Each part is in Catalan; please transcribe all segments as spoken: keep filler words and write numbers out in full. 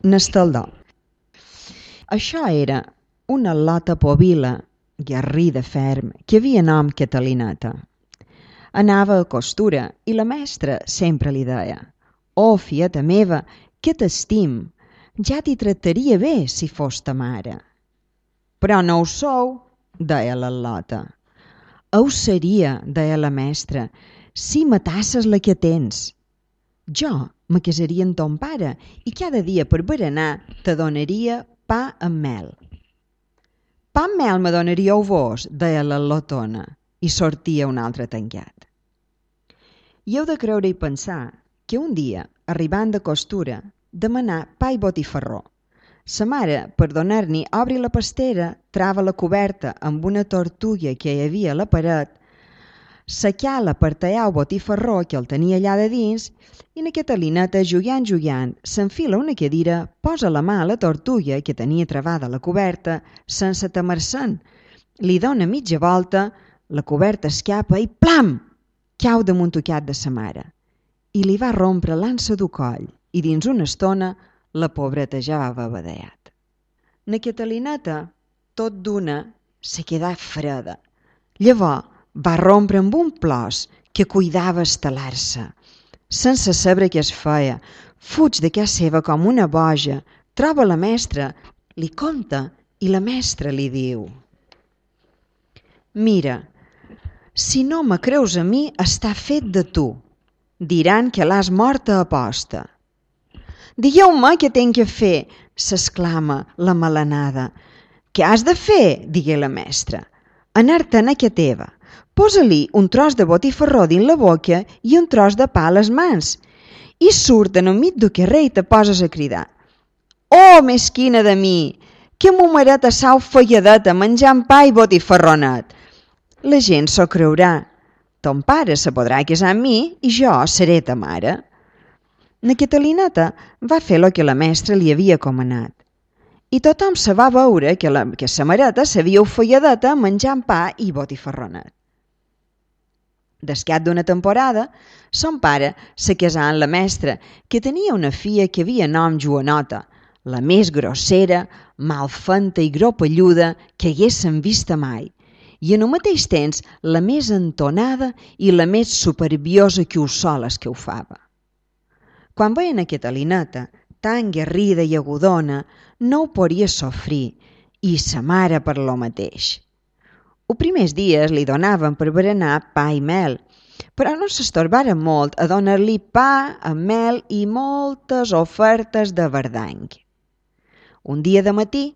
n'estaldó. Això era una lota povila, guerrida ferm, que havia nom Catalineta. Anava a costura i la mestra sempre li deia: «Oh, fieta meva, que t'estim, ja t'hi tractaria bé si fos ta mare». «Però no ho sou», deia la lota. «Ho seria», deia la mestra, «si matasses la que tens. Jo me casaria amb ton pare i cada dia per berenar te donaria pa amb mel». «Pa amb mel me donaríeu vos», deia la lotona, i sortia un altre tancat. I heu de creure i pensar que un dia, arribant de costura, demanà pa i botifarró. Sa mare, per donar-n'hi, obri la pastera, trava la coberta amb una tortuga que hi havia a la paret, s'acala per tallar el botifarró que el tenia allà de dins i na Catalineta, jugant, jugant, s'enfila una cadira, posa la mà a la tortuga que tenia travada a la coberta sense temer-se'n, li dona mitja volta, la coberta escapa i plam! Cau damunt tocat de sa mare. I li va rompre l'ansa du coll i dins una estona la pobreta ja va babadeat. Na Catalineta, tot d'una, se quedà freda. Llavors va rompre amb un plors que cuidava estalar-se. Sense saber què es feia, fuig de casa seva com una boja, troba la mestra, li conta i la mestra li diu: «Mira, si no me creus a mi, està fet de tu. Diran que l'has morta a posta». «Digueu-me què tenc que fer», s'exclama la melanada. «Què has de fer?», digué la mestra. «Anar-te'n a que teva. Posa-li un tros de botifarró dins la boca i un tros de pa a les mans. I surt en el mig del carrer i te poses a cridar: «Oh, mesquina de mi, que mo mareta sau falladeta menjant pa i botifarronet». La gent s'ho creurà. Ton pare se podrà casar amb mi i jo seré ta mare». Na Catalineta va fer el que la mestra li havia comanat. I tothom se va veure que, la, que sa mareta s'havia ofalladeta menjant pa i botifarronet. Descat d'una temporada, son pare se casà amb la mestra, que tenia una filla que havia nom Joanota, la més grossera, malfenta i gropelluda que haguessin vista mai, i en el mateix temps la més entonada i la més superbiosa que us soles que ho fava. Quan veien a Catalineta, tan guerrida i agudona, no ho podia sofrir, i sa mare per lo mateix. Els primers dies li donaven per berenar pa i mel, però no s'estorbaren molt a donar-li pa amb mel i moltes ofertes de verdany. Un dia de matí,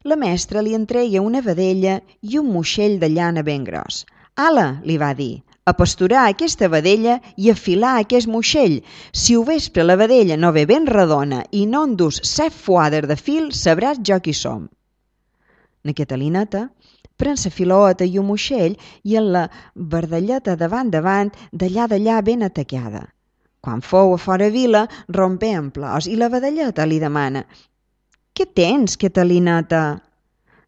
la mestra li entreia una vedella i un moixell de llana ben gros. «Ala», li va dir, «a pasturar aquesta vedella i a filar aquest moixell. Si ho vespre la vedella no ve ben redona i no en dus set fuades de fil, sabràs jo qui som». Na Catalineta pren sa filoeta i un moixell i en la bardelleta davant davant, d'allà d'allà ben atacada. Quan fou a fora vila, rompé en plors i la vedelleta li demana: «Què tens, Catalineta?»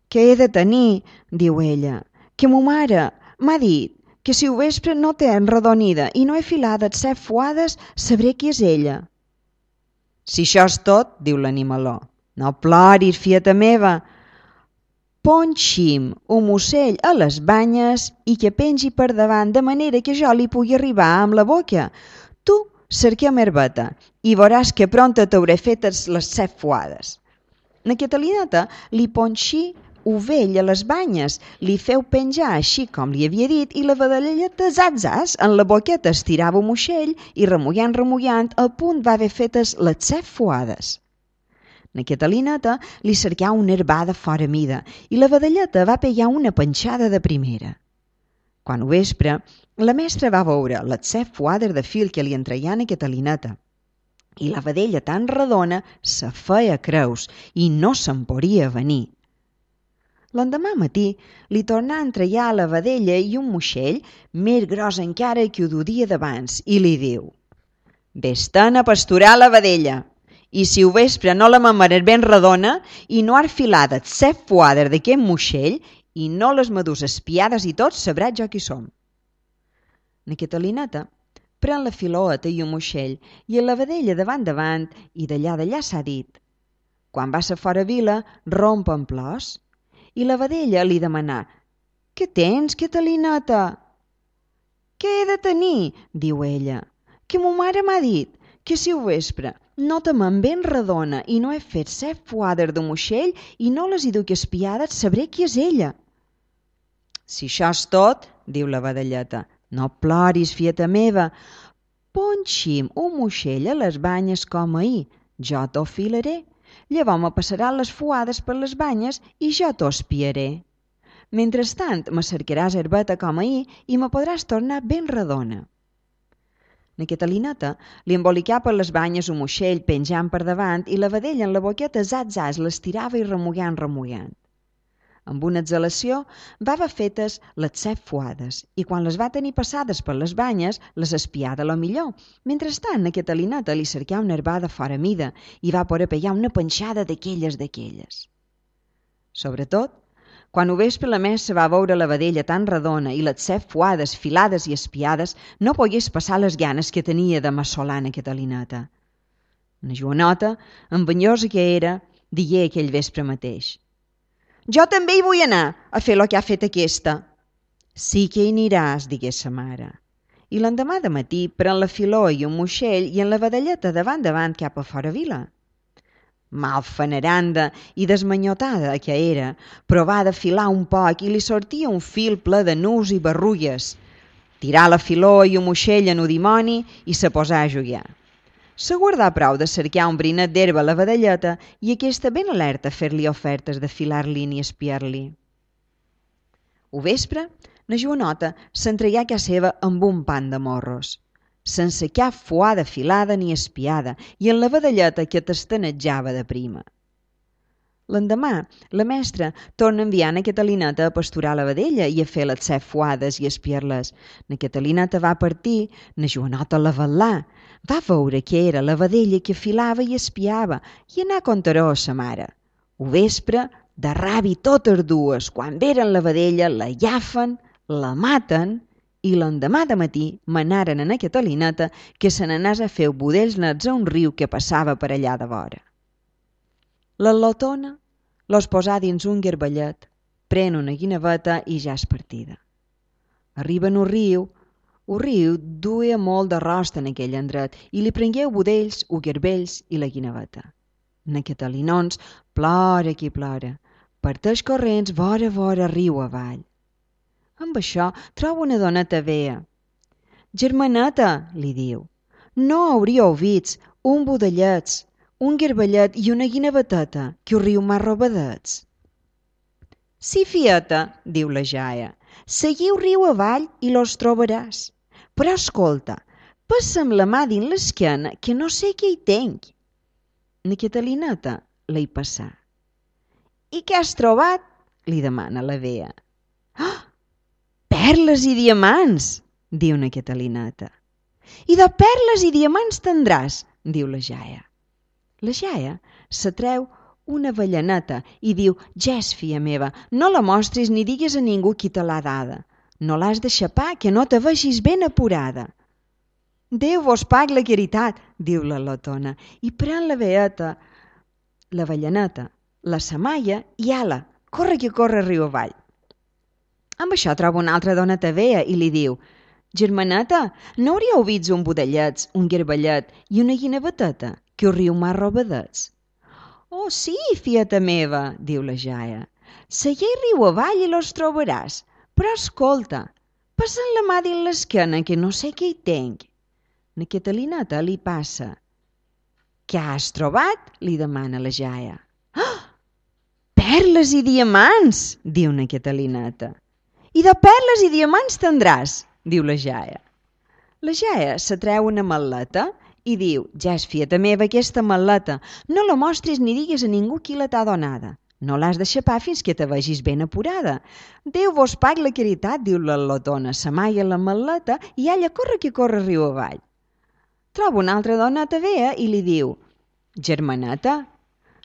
«Què he de tenir?», diu ella, «que mo mare m'ha dit que si ho vespre no té enredonida i no he filada set fuades, sabré qui és ella». «Si això és tot», diu l'animaló, «no ploris, fieta meva. Ponxi'm un ocell a les banyes i que pengi per davant de manera que jo li pugui arribar amb la boca. Tu cerquem herbeta i veuràs que prompte t'hauré fetes les set fuades». Na Catalineta li ponxí ovell a les banyes, li feu penjar així com li havia dit i la vedelleta zaz, zaz, en la boqueta estirava un moixell i remullant, remullant, al punt va haver fetes les set fuades. Na Catalineta li cercà una herbada fora mida i la vedelleta va pegar una panxada de primera. Quan ho vespre, la mestra va veure les set fuades de fil que li entreien a Catalineta i la vedella tan redona se feia creus i no se'n podia venir. L'endemà matí li tornà a entregar a la vedella i un moixell més gros encara que ho du dia d'abans i li diu: «Ves-te'n a pasturar la vedella i si ho vespre no la mamaràs ben redona i no has filades set fuades d'aquest moixell i no les madurs espiades i tot, sabràs jo qui som». Na Catalineta pren la filoeta i un moixell i la vedella davant davant i d'allà d'allà s'ha dit: Quan va ser fora vila, romp en plors. I la vedella li demanà: «Què tens, Catalineta?» «Què he de tenir?», diu ella, «que mo mare m'ha dit que si ho vespre no te me'n ben redona i no he fet set fuades de moixell i no les hi duc espiades, sabré qui és ella». «Si això és tot», diu la vedelleta, «no ploris, fieta meva. Ponxim un moixell a les banyes com ahir, jo t'ho filaré. Llavors me passaran les fuades per les banyes i jo t'ho espiaré. Mentrestant me cercaràs herbeta com ahir i me podràs tornar ben redona». Na Catalineta li embolicà per les banyes un moixell penjant per davant i la vedella en la boqueta zat zat l'estirava i remugant remugant. Amb una exhalació va haver fetes les set fuades i quan les va tenir passades per les banyes les espià de lo millor. Mentrestant na Catalineta li cercà una herbada fora mida i va poder pegar una panxada d'aquelles d'aquelles. Sobretot, quan ho vespre la messa va veure la vedella tan redona i les set fuades filades i espiades, no pogués passar les ganes que tenia de massolar na Catalineta. Na Joanota, envenyosa que era, digué aquell vespre mateix: «Jo també hi vull anar a fer lo que ha fet aquesta». «Sí que hi aniràs», digué sa mare. I l'endemà de matí pren la filó i un moixell i en la vedelleta davant davant cap a fora vila. Malfaneranda i desmanyotada que era, provà de filar un poc i li sortia un fil ple de nus i barrulles. Tirà la filó i un moixell en un dimoni i se posà a jugar. S'aguardà prou de cercar un brinet d'herba a la vedelleta i aquesta ben alerta a fer-li ofertes de filar-li ni espiar-li. Ho vespre, na Joanota s'entregà a casa seva amb un pan de morros, sense cap fuada filada ni espiada, i en la vedelleta que tastanejava de prima. L'endemà, la mestra torna a enviar na Catalineta a pasturar la vedella i a fer les set fuades i espiar-les. Na Catalineta va partir, na Joanota la vetllà. Va veure que era la vedella que filava i espiava i anà a contar-ho a sa mare. Ho vespre, de ràbi totes dues, quan veren la vedella, la llafen, la maten i l'endemà de matí manaren a na Catalineta que se n'anàs a fer budells nets a un riu que passava per allà de vora. La lotona los posà dins un garbellet, pren una guineveta i ja és partida. Arriben un riu, un riu duia molt de rosta en aquell endret i li prengueu budells, u garbells i la guineveta. Na Catalinons plora qui plora, parteix corrents vora vora riu avall. Amb això troba una doneta vea. «Germaneta», li diu, «no hauríeu vist un budellets, un garbellet i una guineveteta, que el riu m'ha robadets». «Sí, fieta», diu la jaia, «seguiu riu avall i los trobaràs. Però escolta, passa'm la mà dins l'esquena que no sé què hi tenc». Na Catalineta la hi passà. «I què has trobat?», li demana la vea. «Ah, perles i diamants», diu na Catalineta. «I de perles i diamants tindràs», diu la jaia. La jaia s'atreu una avellaneta i diu: «Ges, filla meva, no la mostris ni digues a ningú qui te l'ha dada. No l'has de xapar, que no te vegis ben apurada». «Déu vos pagui la caritat», diu la lotona, i pren la veeta, l'avellaneta, la samaia i ala, corre que corre riu avall. Amb això troba una altra doneta vea i li diu: «Germaneta, no hauríeu vist un budellets, un garbellet i una guineveteta, que el riu m'ha robadets?» «Oh, sí, fieta meva», diu la jaia, «seguei riu avall i los trobaràs, però escolta, passa'm la mà dins l'esquena que no sé què hi tenc». Na Catalineta li passa. «Què has trobat?», li demana la jaia. «Ah, perles i diamants», diu na Catalineta. «I de perles i diamants tindràs», diu la jaia. La jaia s'atreu una mal·leta i diu: «Ges, fieta meva, aquesta mal·leta, no la mostris ni digues a ningú qui la t'ha donada. No l'has de xapar fins que te vegis ben apurada. Déu vos pagui la caritat», diu la lotona, s'amaia la mal·leta i ella corre que corre riu avall. Troba una altra doneta vea i li diu: «Germaneta,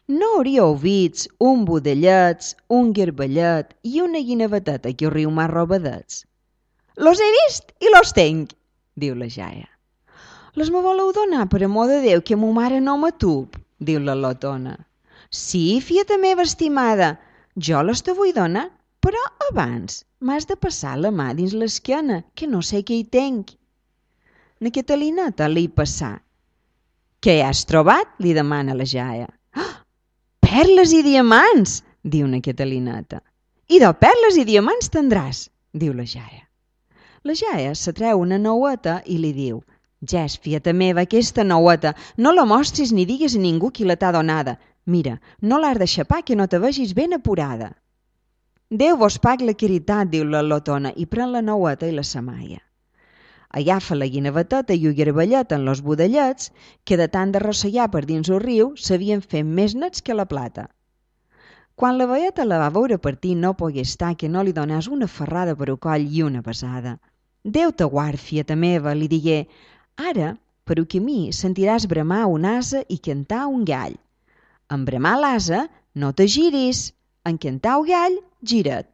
no hauríeu vist un budellets, un garbellet i una guineveteta que el riu m'ha robadets?» «Los he vist i los tenc», diu la jaia. «Les me voleu donar per amor de Déu que mo mare no m'atup», diu la lotona. Sí, fieta meva estimada, jo les te vull donar, però abans m'has de passar la mà dins l'esquena, que no sé què hi tenc. Na Catalineta li passa. Què has trobat? Li demana la jaia. Oh, perles i diamants, diu na Catalineta. I de perles i diamants tindràs, diu la jaia. La jaia se treu una noueta i li diu: Ges, fieta meva, aquesta noueta, no la mostris ni digues a ningú qui la t'ha donada. Mira, no l'has de xapar que no te vegis ben apurada. Déu vos pagui la caritat, diu la lotona, i pren la noueta i la samaia. Agafa la guineveteta i el garbellet en los budellets, que de tant de rossegar per dins el riu s'havien fet més nets que la plata. Quan la veieta la va veure partir no pogué estar que no li donàs una ferrada per el coll i una besada. Déu te guard, fieta meva, li digué, ara, per el camí, sentiràs bramar un ase i cantar un gall. En bramar l'ase, no te giris, en cantar el gall, gira't.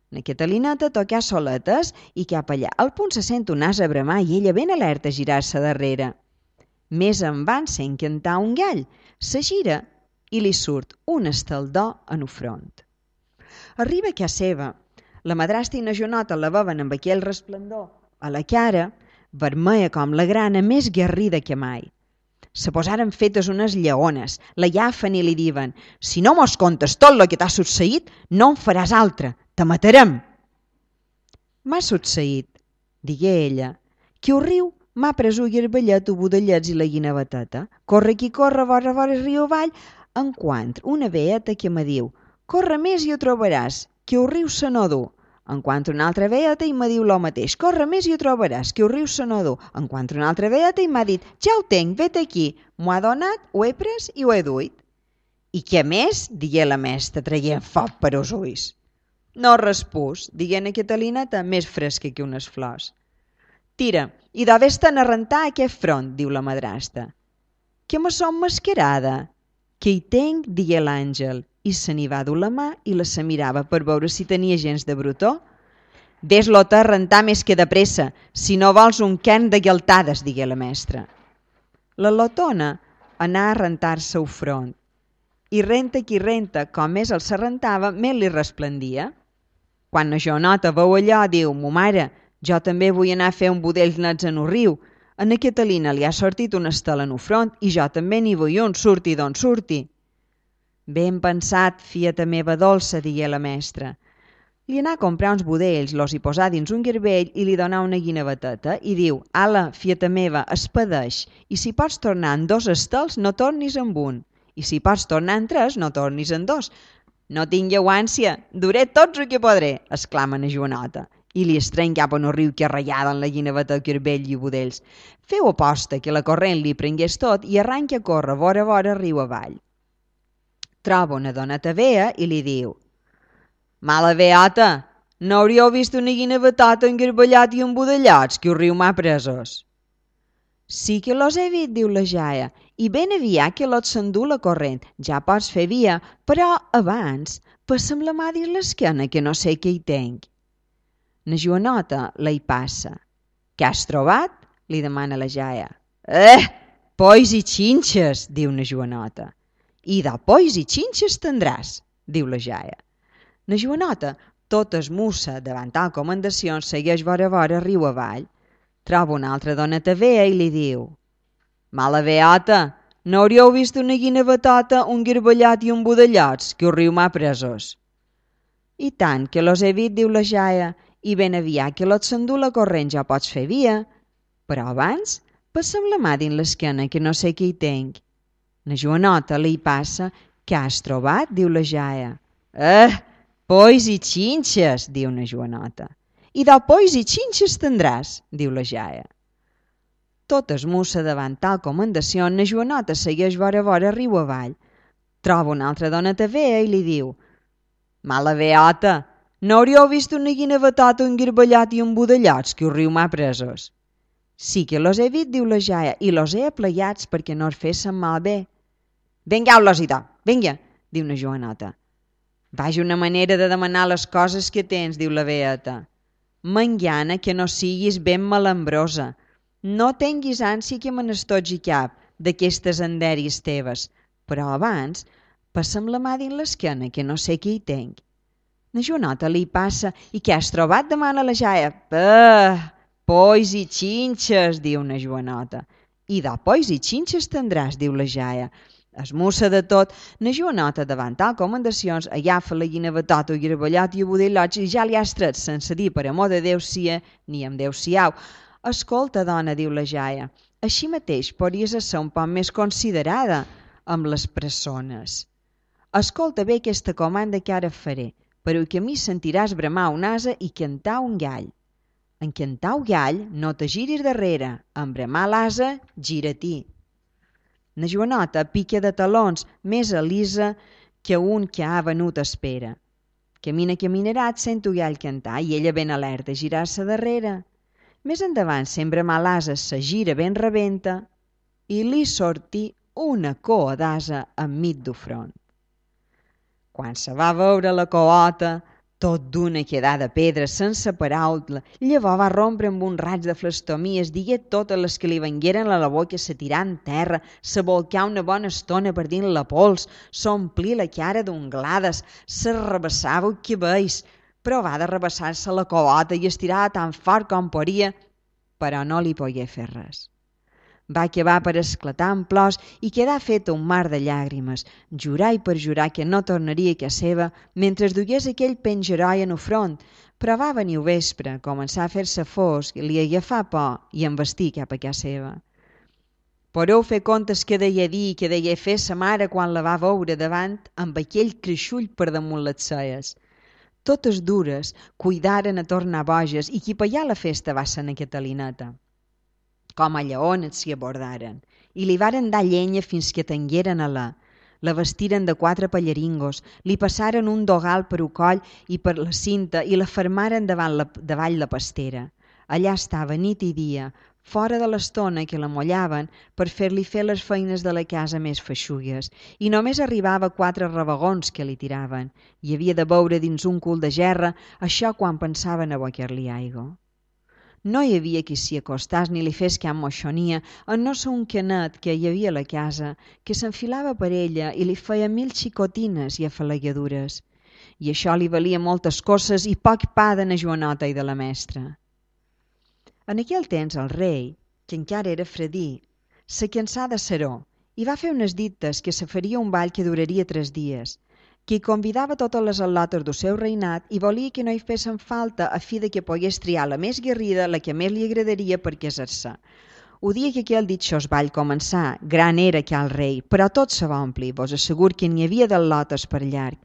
Na Catalineta tocà soletes i cap allà al punt se sent un ase bramar i ella ben alerta a girar-se darrere. Més en van sent cantar un gall, se gira i li surt un estaldó en el front. Arriba a casa seva. La madrastra i na Joanota la veuen amb aquell resplendor a la cara, vermella com la grana, més guerrida que mai. Se posaren fetes unes lleones, la llafen i li diuen: si no mos contes tot el que t'ha succeït, no en faràs altre, te matarem. M'ha succeït, digué ella, que el riu m'ha pres el garbellet, el budellets i la guineveteta. Corre qui corre, vora vora riu avall, enquantre una veeta que me diu: corre més i ho trobaràs, que el riu se no du. Enquantre una altra veeta i me diu lo mateix: corre més i ho trobaràs, que el riu se no du. Enquantre una altra veeta i m'ha dit: ja ho tenc, vet aquí. M'ho ha donat, ho he pres i ho he duit. I què més? Digué la mestra, traient foc per els ulls. No respús, digué na Catalineta, més fresca que unes flors. Tira, i d'haver-te'n a rentar aquest front, diu la madrastra. Que me som mascarada? Que hi tenc, digué l'àngel, i se n'hi va dur la mà i la se mirava per veure si tenia gens de brutó. Ves-lo-te a rentar més que de pressa, si no vols un quern de gueltades, digué la mestra. La lotona anà a rentar-se el front, i renta qui renta, com més el se rentava, més li resplendia. Quan na Joanota veu allò, diu: mo mare, jo també vull anar a fer un budell nets en el riu. A na Catalina li ha sortit una estela en el front i jo també n'hi vull un, surti d'on surti. Ben pensat, fieta meva dolça, digué la mestra. Li anà a comprar uns budells, los hi posà dins un garbell i li donà una guineveteta i diu: ala, fieta meva, espedeix, i si pots tornar en dos estels, no tornis amb un, i si pots tornar en tres, no tornis en dos. No tingueu ànsia, duré tots el que podré, exclama na Joanota, i li estreny cap en el riu que arrallada en la guineveta, garbell i budells. Feu aposta que la corrent li prengués tot i arranca a córrer vora vora riu avall. Troba una doneta vea i li diu: mala veata, no hauríeu vist una guinevetota engarballat i embudellats que el riu m'ha presos? Sí que los he vist, diu la jaia, i ben aviat que lot s'endú la corrent, ja pots fer via, però abans passa'm la mà dins l'esquena que no sé què hi tenc. Na Joanota la hi passa. Què has trobat? Li demana la jaia. Eh, polls i xinxes, diu na Joanota. I de polls i xinxes tindràs, diu la jaia. Na Joanota, tota esmussa davant tal comendació, segueix vora vora riu avall. Troba una altra doneta vea i li diu: mala veata, no hauríeu vist una guinevetota, un garballat i un budellats, que el riu m'ha presos? I tant que los he vist, diu la jaia, i ben aviat que lot s'endú la corrent ja pots fer via. Però abans, passa'm la mà dins l'esquena que no sé què hi tenc. Na Joanota li passa. Què has trobat? Diu la jaia. Eh, polls i xinxes, diu na Joanota. I de polls i xinxes tindràs, diu la jaia. Tota esmussa davant tal comendació, na Joanota segueix vora vora riu avall. Troba una altra doneta vea i li diu: mala veata, no hauríeu vist una guinevetota, un garballat i un budellats, que el riu m'ha presos? Sí que los he vist, diu la jaia, i los he apleiats perquè no es fessin malbé. Vingueu-los-hi, do, vinga, diu na Joanota. Vaja una manera de demanar les coses que tens, diu la veeta. Mangiana que no siguis ben malambrosa. No tinguis ànsia que me n'estotgi cap d'aquestes endèries teves, però abans Passa'm la mà dins l'esquena, que no sé què hi tenc. La Joanota li passa. I què has trobat? Demana la jaia. Pah, polls i xinxes, diu la Joanota. I de polls i xinxes tindràs, diu la jaia. Esmussa de tot. La Joanota, davant tal comendacions, agafa la guina batota i gravellot i el budell i ja li has tret, sense dir per amor de Déu sia ni amb Déu siau. Escolta, dona, diu la jaia, així mateix podries ser un poc més considerada amb les persones. Escolta bé aquesta comanda que ara faré, però que a mi sentiràs bramar un ase i cantar un gall. En cantar un gall no te giris darrere, en bramar l'ase, gira-t'hi. La Joanota pica de talons, més alisa que un que ha venut espera. Camina, caminarà, et sent un gall cantar i ella ben alerta, girar-se darrere. Més endavant, sent bramar l'ase, se gira ben rebenta i li sortí una coa d'ase enmig du front. Quan se va veure la coota, tot d'una quedà de pedra sense paraula, llavors va rompre amb un raig de flastomia, digué totes les que li vengueren a la boca, se tirà en terra, se volcà una bona estona per dins la pols, s'omplí la cara d'unglades, se rebassava que veis, però va de rebassar-se la coota i estirava tan fort com podia, però no li pogué fer res. Va acabar per esclatar en plors i quedar feta un mar de llàgrimes, jurar i perjurar que no tornaria a casa seva mentre es dugués aquell pengeroi en el front, però va venir el vespre, començar a fer-se fosc, li agafà por i em vestí cap a casa seva. Podeu fer comptes que deia dir i que deia fer sa mare quan la va veure davant amb aquell creixull per damunt les celles. Totes dures cuidaren a tornar boges i qui pallà la festa va ser na Catalineta. Com a lleones s'hi abordaren, i li varen dar llenya fins que tengueren a la. La vestiren de quatre pallaringos, li passaren un dogal per el coll i per la cinta i la fermaren davant la, davall la pastera. Allà estava nit i dia, fora de l'estona que la mollaven per fer-li fer les feines de la casa més feixugues, i només arribava quatre rabagons que li tiraven, i havia de beure dins un cul de gerra això quan pensaven a abocar-li aigua. No hi havia qui s'hi acostàs ni li fes cap moixonia, en no ser un canet que hi havia a la casa, que s'enfilava per ella i li feia mil xicotines i afalagadures. I això li valia moltes coses i poc pa de na Joanota i de la mestra. En aquell temps el rei, que encara era fredí, se cansà de seró i va fer unes dites que se faria un ball que duraria tres dies, que convidava totes les al·lotes del seu reinat i volia que no hi fessin falta a fi de que pogués triar la més guerrida, la que més li agradaria per casar-se. El dia que aquell ditxós ball començà, gran era que el rei, però tot se va omplir, vos assegur que n'hi havia d'al·lotes per llarg.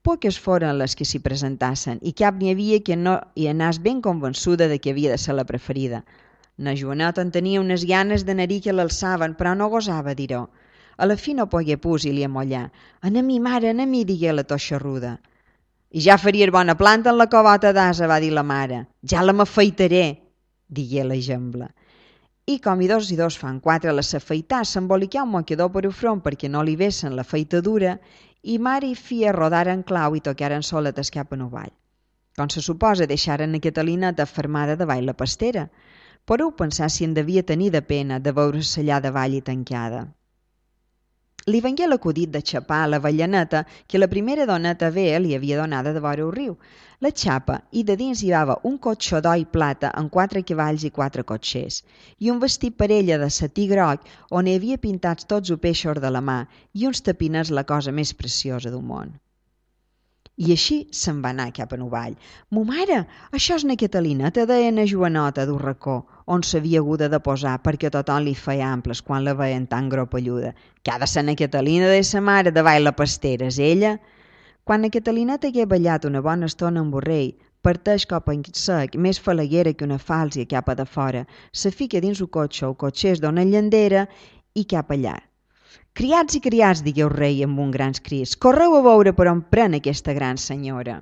Poques foren les que s'hi presentassen i cap n'hi havia que no hi anàs ben convençuda de que havia de ser la preferida. Na Joanota en tenia unes ganes d'anar-hi que l'alçaven, però no gosava dir-ho. A la fi no pogué pus i li amollar. «Ana mi, mare, ana mi», digué la toixarruda. «I ja faries bona planta en la covota d'ase», va dir la mare. «Ja la m'afeitaré», digué la gembla. I com i dos i dos fan quatre, la s'afeità, s'embolicà un mocador per el front perquè no li vessen la feitadura i mare i filla rodaren clau i tocaren soletes cap en el ball. Com se suposa, deixaren a Catalineta fermada davall la pastera. Podeu pensar si en devia tenir de pena de veure-se allà davall i tancada. Li vengué l'acudit de xapar l'avellaneta que la primera doneta vea li havia donada de vora el riu. La xapa i de dins hi havia un cotxó d'oi plata amb quatre cavalls i quatre cotxers i un vestit per ella de setí groc on hi havia pintats tots els peixos de la mà i uns tapiners la cosa més preciosa del món. I així se'n va anar cap a el ball. «Mo mare, això és na Catalineta», deia na Joanota d'un racó, on s'havia haguda de posar perquè tothom li feia amples quan la veien tan gropelluda. «Que ha de ser na Catalina de sa mare davall la pastera, és ella?» Quan na Catalineta hagué ballat una bona estona amb el rei, parteix cop en sec, més falaguera que una fàlsia cap a de fora, se fica dins el cotxe, el cotxer es dona llandera i cap allà. «Criats i criats», digué el rei amb un grans crits, «correu a veure per on pren aquesta gran senyora».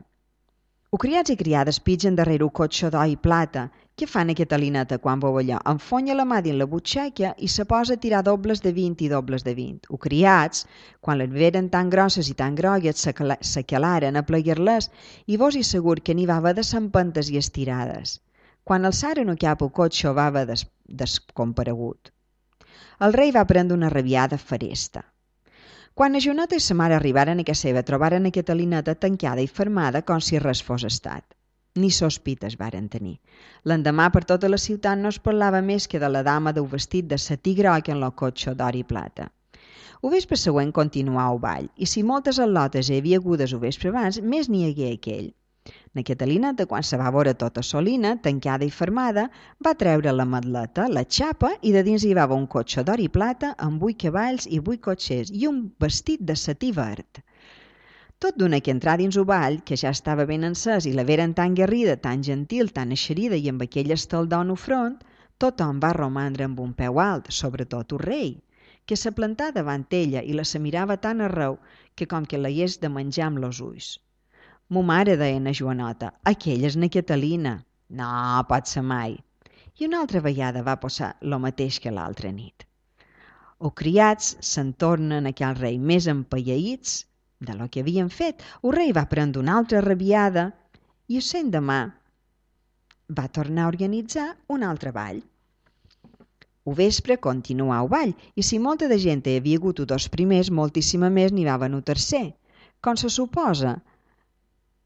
Els criats i criades pitgen darrere el cotxe d'oi i plata. Què fan a Catalineta quan veu allò? Enfonya la mà dins la butxaca i se posa a tirar dobles de vint i dobles de vint. Els criats, quan les veren tan grosses i tan grogues, s'acalaren a plegar-les i vos hi segur que n'hi va haver de s'empentes i estirades. Quan alçaren el cap al cotxe va haver des descomparegut. El rei va prendre una rabiada feresta. Quan a Joaneta i sa mare arribaren a casa seva, trobaren a Catalineta tancada i fermada com si res fos estat. Ni sospites varen tenir. L'endemà per tota la ciutat no es parlava més que de la dama d'un vestit de setí groc en lo cotxe d'or i plata. El vespre següent continuà el ball, i si moltes al·lotes hi havia hagudes el vespre abans, més n'hi hagué aquell. Na Catalineta, quan se va veure tota solina, tancada i fermada, va treure la madleta, la xapa, i de dins hi va un cotxe d'or i plata amb vuit cavalls i vuit cotxers i un vestit de setí verd. Tot d'una que entrà dins el ball, que ja estava ben encès i la veren tan guerrida, tan gentil, tan eixerida i amb aquell estaldó en el front, tothom va romandre amb un peu alt, sobretot el rei, que se plantà davant ella i la se mirava tan arreu que com que la hagués de menjar amb los ulls. Mo mare, deia na Joanota, aquella és na Catalina. No, pot ser mai. I una altra vegada va passar lo mateix que l'altra nit. Els criats se'n tornen aquell rei més empaiaïts de lo que havien fet. El rei va prendre una altra rabiada i el demà va tornar a organitzar un altre ball. El vespre continuà el ball i si molta de gent hi havia hagut dos primers, moltíssima més n'hi va venir tercer. Com se suposa,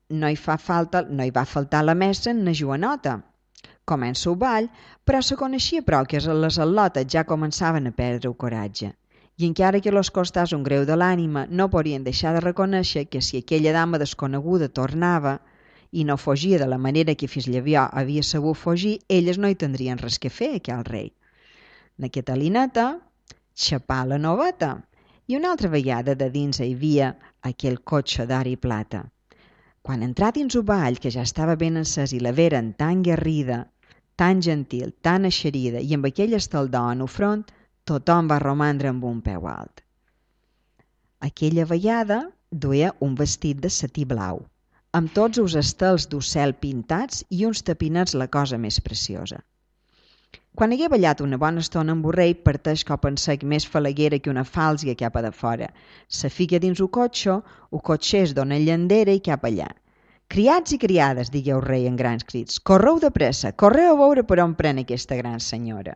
no hi, fa falta, no hi va faltar la mestra en na Joanota. Comença el ball, però se coneixia prou que les al·lotes ja començaven a perdre el coratge. I encara que los costàs un greu de l'ànima, no podien deixar de reconèixer que si aquella dama desconeguda tornava i no fugia de la manera que fins llavors havia sabut fugir, elles no hi tindrien res que fer, aquell rei. Na Catalineta xapà la noveta i una altra vegada de dins hi havia aquell cotxe d'or i plata. Quan entrà dins el ball, que ja estava ben encès i la veren tan guerrida, tan gentil, tan eixerida i amb aquell estaldó en el front, tothom va romandre amb un peu alt. Aquella vegada duia un vestit de setí blau, amb tots els estels d'ocel pintats i uns tapinets la cosa més preciosa. Quan hagué ballat una bona estona amb el rei, parteix cop en sec més falaguera que una fàlsia cap a de fora. Se fica dins el cotxe, el cotxer es dona llandera i cap allà. Criats i criades, digué el rei en grans crits, correu de pressa, correu a veure per on pren aquesta gran senyora.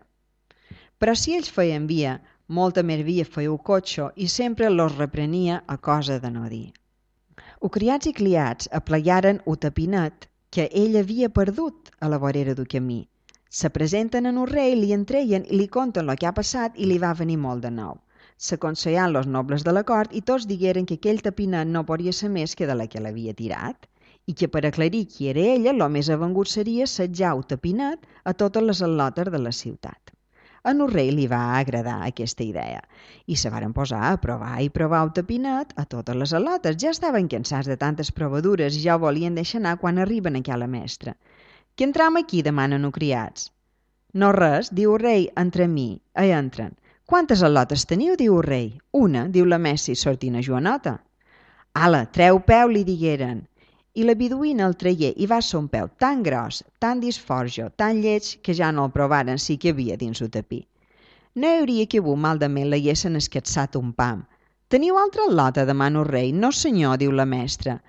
Però si ells feien via, molta més via feia el cotxe i sempre los reprenia a cosa de no dir. Els criats i criats aplegaren el tapinet que ell havia perdut a la vorera del camí. Se presenten en el rei, li entreien i li conten el que ha passat i li va venir molt de nou. S'aconsellaren els nobles de la cort i tots digueren que aquell tapinet no podia ser més que de la que l'havia tirat i que per aclarir qui era ella, el més avengut seria setjar el tapinet a totes les al·lotes de la ciutat. A el rei li va agradar aquesta idea i se varen posar a provar i provar el tapinet a totes les al·lotes. Ja estaven cansats de tantes provadures i ja ho volien deixar anar quan arriben aquella mestra. Que entram aquí, demanen els criats. No res, diu el rei, entre mi. Hi entren. Quantes al·lotes teniu, diu el rei. Una, diu la mestra i sortint a Joanota. Ala, treu peu, li digueren. I la biduïna el tragué i va ser un peu tan gros, tan disforjo, tan lleig, que ja no el provaren sí que havia dins el tapí. No hi hauria que bu malament l'haguessin escatsat un pam. Teniu altra al·lota, demana el rei. No senyor, diu la mestra.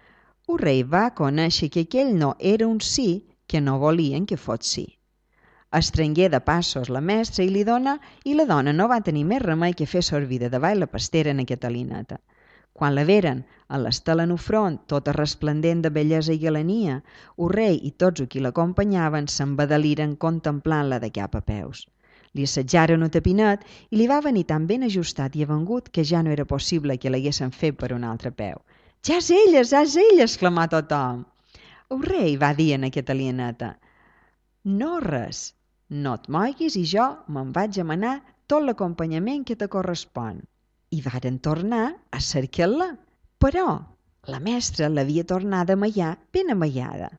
El rei va conèixer que aquell no era un sí que no volien que fos sí. Estrengué de passos la mestra i li dona i la dona no va tenir més remei que fer servir de davall la pastera en Catalineta. Quan la veren, a l'estela en el front, tota resplendent de bellesa i galania, el rei i tots els qui l'acompanyaven s'embadaliren contemplant-la de cap a peus. Li assetjaren el tapinet i li va venir tan ben ajustat i avengut que ja no era possible que l'haguessin fet per un altre peu. «Ja és ella, ja és ella!» exclamà tothom. El rei va dir a Catalineta: «No res, no et moguis i jo me'n vaig a manar tot l'acompanyament que te correspon». I varen tornar a cercar-la, però la mestra l'havia tornat a amaiar ben amaiada.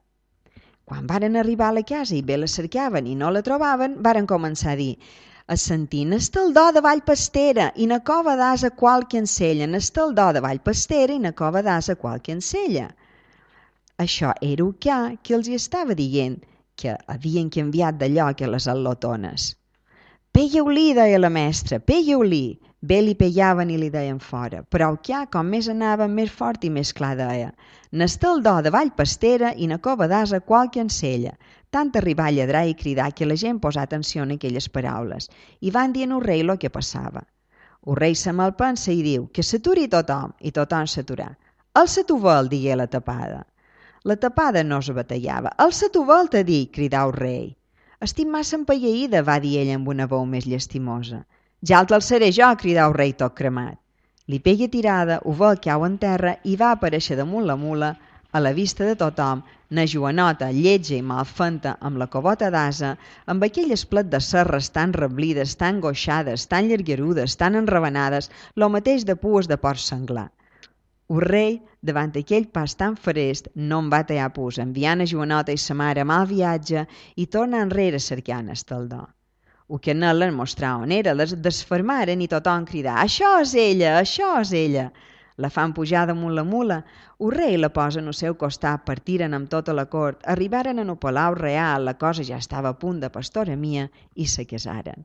Quan varen arribar a la casa i bé la cercaven i no la trobaven, varen començar a dir: «Assentin estaldó de vall pastera i na cova d'asa qualque encella, estaldó de vall pastera i na cova d'asa qualque encella». Això era el que, que els hi estava dient que havien canviat de lloc a les al·lotones. «Peieu-li», deia la mestra, «peieu-li». Bé li pellaven i li deien fora, però el que, com més anava, més fort i més clar deia: «N'estaldó de vall pastera i na cova d'asa qualque encella». Tant arribar a lladrar i cridar que la gent posà atenció en aquelles paraules i van dir al rei el que passava. El rei se malpensa i diu que s'aturi tothom, i tothom s'aturà. «Alça tu vol», digué la tapada. La tapada no es batallava. «Alça tu vol, t'ha dit», cridà el rei. «Estic massa empalleïda», va dir ella amb una veu més llastimosa. «Ja el t'alçaré jo», cridà el rei tot cremat. Li pegui tirada, ho vol cau en terra i va aparèixer damunt la mula, a la vista de tothom, na joanota, lletja i malfenta, amb la cobota d'asa, amb aquell esplet de serres tan reblides, tan goixades, tan llarguerudes, tan enravenades, lo mateix de pues de porc senglar. El rei, davant aquell pas tan farest, no en va tallar pus, enviant a Joanota i sa mare a mal viatge i tornar enrere cercant Estaldor. El que anaren a mostrar on era, les desfermaren i tothom cridà «Això és ella! Això és ella!». La fan pujar damunt la mula, el rei la posa en el seu costat, partiren amb tota la cort, arribaren en el palau real, la cosa ja estava a punt de pastora mia i se casaren.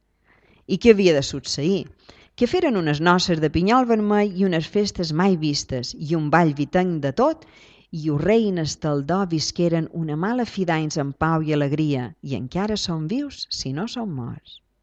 I què havia de succeir? Que feren unes noces de pinyol vermell i unes festes mai vistes i un ball vitenc de tot, i el rei i n'Estaldor visqueren una mala fi d'anys en pau i alegria, i encara són vius si no són morts.